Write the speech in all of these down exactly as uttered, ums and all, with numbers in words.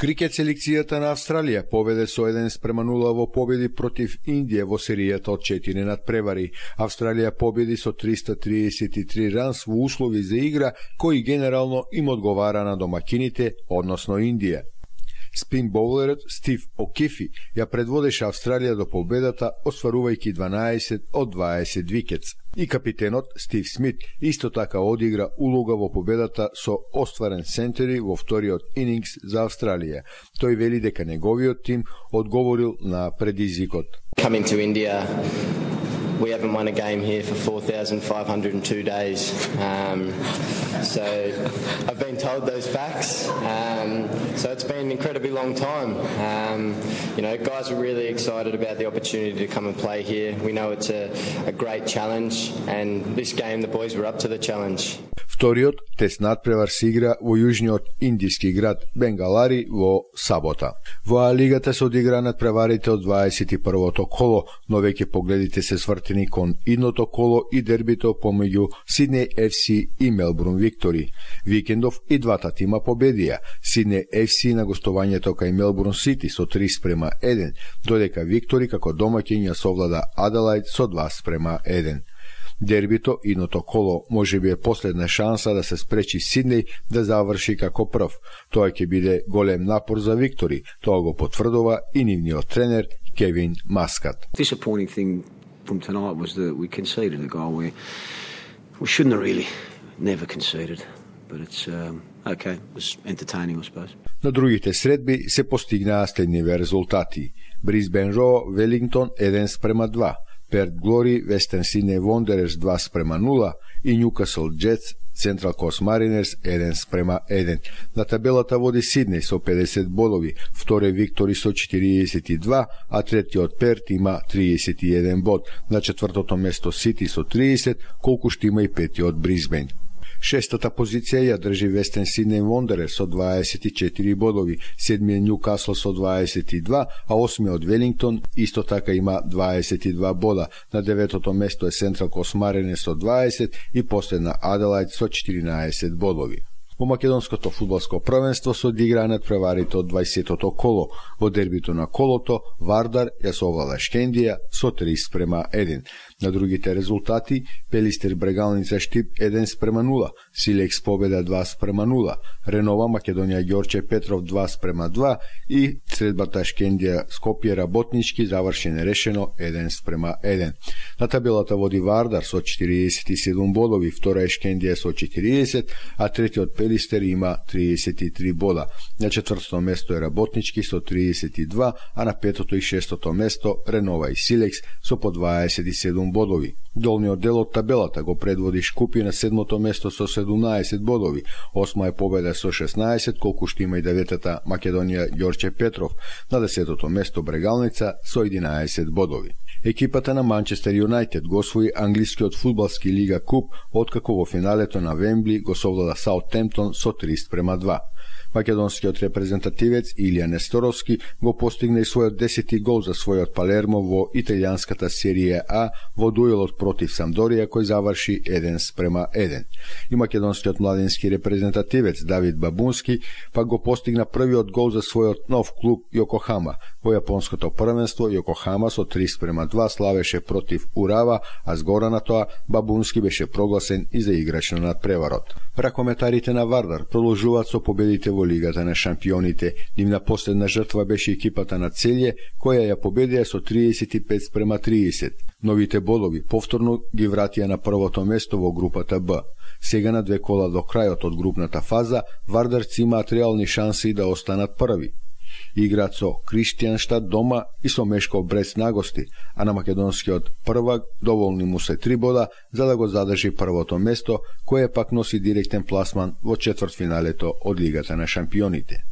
Крикет селекцијата на Австралија победе со еден спрема нула во победи против Индија во серијата од четири надпревари. Австралија победи со триста триесет и три ранс во услови за игра кои генерално им одговара на домакините, односно Индија. Спин боулерот Стив О'Кифи ја предводеше Австралија до победата, остварувајќи дванаесет од дваесет викетс. И капитенот Стив Смит исто така одигра улога во победата со остварен сентери во вториот инингс за Австралија. Тој вели дека неговиот тим одговорил на предизвикот. Coming to India, we haven't won a game here for four thousand five hundred two days. Um, so I've been told those facts. Um, so it's been an incredibly long time. Um, you know, guys were really excited about the opportunity to come and play here. We know it's a, a great challenge, and this game the boys were up to the challenge. Вториот тест надпревар се игра во јужниот индиски град Бенгалари во сабота. Во А лигата се одигра надпреварите од дваесет и првото коло, но веќе погледите се свртени кон идното коло и дербито помеѓу Сиднеј Еф Си и Мелбурн Виктори. Викендов и двата тима победија. Сиднеј Еф Си на гостувањето кај Мелбурн Сити со три спрема еден, додека Виктори како домаќин ја совлада Аделајд со два спрема еден. Дербито идното коло може би е последна шанса да се спречи Сиднеј да заврши како прв. Тоа ќе биде голем напор за Виктори, тоа го потврдува и нивниот тренер Кевин Маскат. Disappointing thing from tonight was that we conceded a goal where we shouldn't have really never conceded, but it's um, okay, it was entertaining, I suppose. На другите средби се постигнаа следниве резултати. Брисбен Ро Велингтон еден спрема два, Перт Глори Вестерн Сиднеј Вондерерс два спрема нула и Ньюкасл Джетс Централ Кост Маринерс еден спрема еден. На табелата води Сиднеј со педесет бодови, вторе Виктори со четириесет и два, а третиот Перт има триесет и еден бод. На четвртото место Сити со триесет, колку што има и петиот Брисбен. Шестата позиција ја држи Вестерн Сиднеј Вондерерс со дваесет и четири бодови, седмиот Ньюкасл со дваесет и два, а осмиот Велингтон исто така има дваесет и два бода. На деветото место е Централ Кост Маринерс со дваесет и последна Аделајд со четиринаесет бодови. Во македонското фудбалско првенство се одиграа надпреварите од дваесетото коло. Во дербито на колото Вардар ја совлада Шкендија со три спрема еден. На другите резултати Пелистер Брегалница Штип еден спрема нула, Силекс победа два спрема нула, Ренова Македонија Ѓорче Петров два спрема два и средбата Шкендија Скопје Работнички заврши нерешено еден спрема еден. На табелата води Вардар со четириесет и седум бодови, втора е Шкендија со четириесет, а третиот Пелистер има триесет и три бода. На четвртото место е Работнички со триесет и два, а на петото и шестото место Ренова и Силекс со по дваесет и седум бодови. Долниот дел од табелата го предводи Шкупи на седмото место со седумнаесет бодови, осма е Победа со шеснаесет, колку што има и деветата Македонија Ѓорче Петров, на десетото место Брегалница со единаесет бодови. Екипата на Манчестер Юнајтед го освои англискиот фудбалски лига куп, откако во финалето на Вембли го совлада Саутемптон со три спрема два. Македонскиот репрезентативец Илија Несторовски го постигна и својот десети гол за својот Палермо во италијанската серија А во дуелот против Самдорија, кој заврши еден спрема еден. И македонскиот младински репрезентативец Давид Бабунски пак го постигна првиот гол за својот нов клуб Јокохама. Во јапонското првенство Јокохама со три спрема два славеше против Урава, а згора на тоа Бабунски беше прогласен и за играч на надпреварот. Ракометарите на Вардар продолжуваат со победите во Лигата на шампионите. Нивна последна жртва беше екипата на Целје, која ја победија со триесет и пет спрема триесет. Новите бодови повторно ги вратија на првото место во групата Б. Сега на две кола до крајот од групната фаза, Вардарци имаат реални шанси да останат први. Играат со Криштијанштад дома и со Мешков Брест на гости, а на македонскиот првак доволни му се три бода за да го задржи првото место, кое пак носи директен пласман во четвртфиналето од Лигата на шампионите.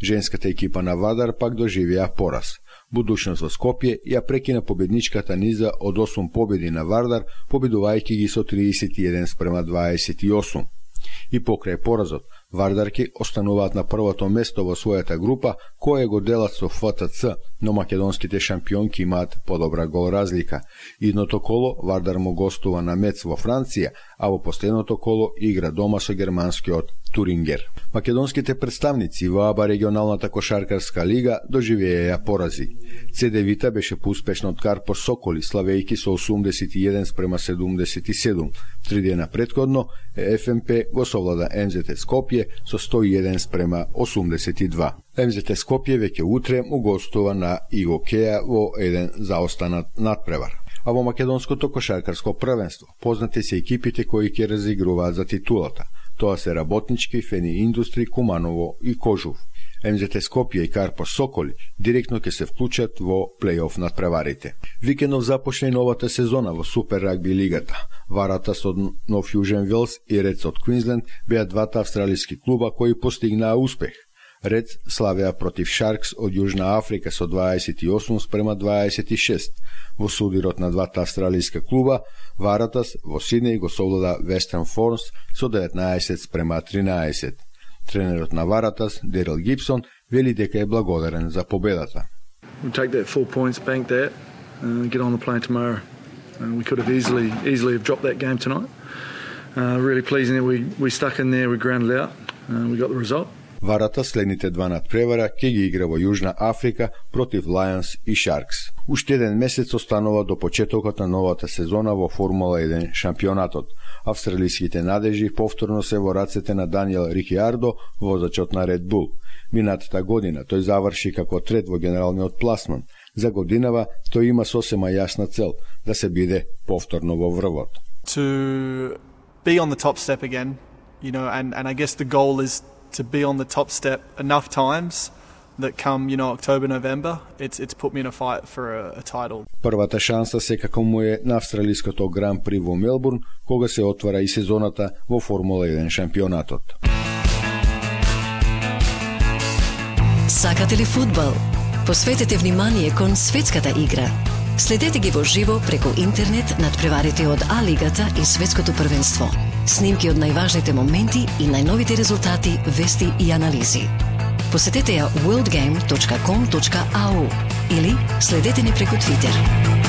Женската екипа на Вардар пак доживеа пораз. Будушност во Скопје ја прекина победничката низа од осум победи на Вардар, победувајќи ги со триесет и еден спрема дваесет и осум. И покрај поразот, Вардарки остануваат на првото место во својата група, која го делат со Ф Т Ц, но македонските шампионки имаат подобра гол разлика. Идното коло Вардар му гостува на Мец во Франција, а во последното коло игра дома со германскиот Турингер. Македонските представници во АБА регионалната кошаркарска лига доживееја порази. Цедевита беше поуспешна од Карпош Соколи, славејки со осумдесет и еден спрема седумдесет и седум. Три дена предходно Еф Ем Пе го совлада Ем Зет Ес Скопје со сто и еден спрема осумдесет и два. Ем Зет Ес Скопје веќе утре му гостува на Игокеја во еден заостанат надпревар. А во македонското кошаркарско првенство познати се екипите кои ќе разигруваат за титулата. Тоа се Работнички, Фени Индустри, Куманово и Кожув. Ем Зет Ес Скопје и Карпош Соколи директно ќе се вклучат во плейоф надпреварите. Викендов започне новата сезона во Супер рагби лигата. Варатас од Нов Јужен Велс и Редс од Квинсленд беа двата австралиски клуба кои постигнаа успех. Редс славеа против Шаркс од Јужна Африка со дваесет и осум спрема дваесет и шест. Во судирот на двата австралиска клуба, Варатас во Сиднеј го совлада Вестерн Форнс со деветнаесет спрема тринаесет. Тренерот на Варатас, Дерил Гибсон, вели дека е благодарен за победата. We'll take that four points, bank that, uh, get on the plane tomorrow. Uh, we could have easily easily have dropped that game tonight. Uh, really pleasing that we we stuck in there, we grounded out, uh, we got the result. Варата следните два надпревара ќе ги игра во Јужна Африка против Лајонс и Шаркс. Уште еден месец останува до почетокот на новата сезона во Формула еден шампионатот. Австралиските надежи повторно се во рацете на Даниел Рикиардо, возачот на Ред Бул. Минатата година тој заврши како трет во генералниот пласман. За годинава тој има сосема јасна цел да се биде повторно во врвот. To be on the top step again, you know, and and I guess the goal is to be on the top step enough times that come, you know, October, November, it's it's put me in a fight for a, a title. Првата шанса секако му е на австралиското Гран При во Мелбурн, кога се отвара и сезоната во Формула еден шампионатот. Сакате ли фудбал? Посветете внимание кон светската игра. Следете ги во живо преку интернет надпреварите од А-лигата и светското првенство. Снимки од најважните моменти и најновите резултати, вести и анализи. Посетете ја world game точка com точка a u или следете ни преку Твитер.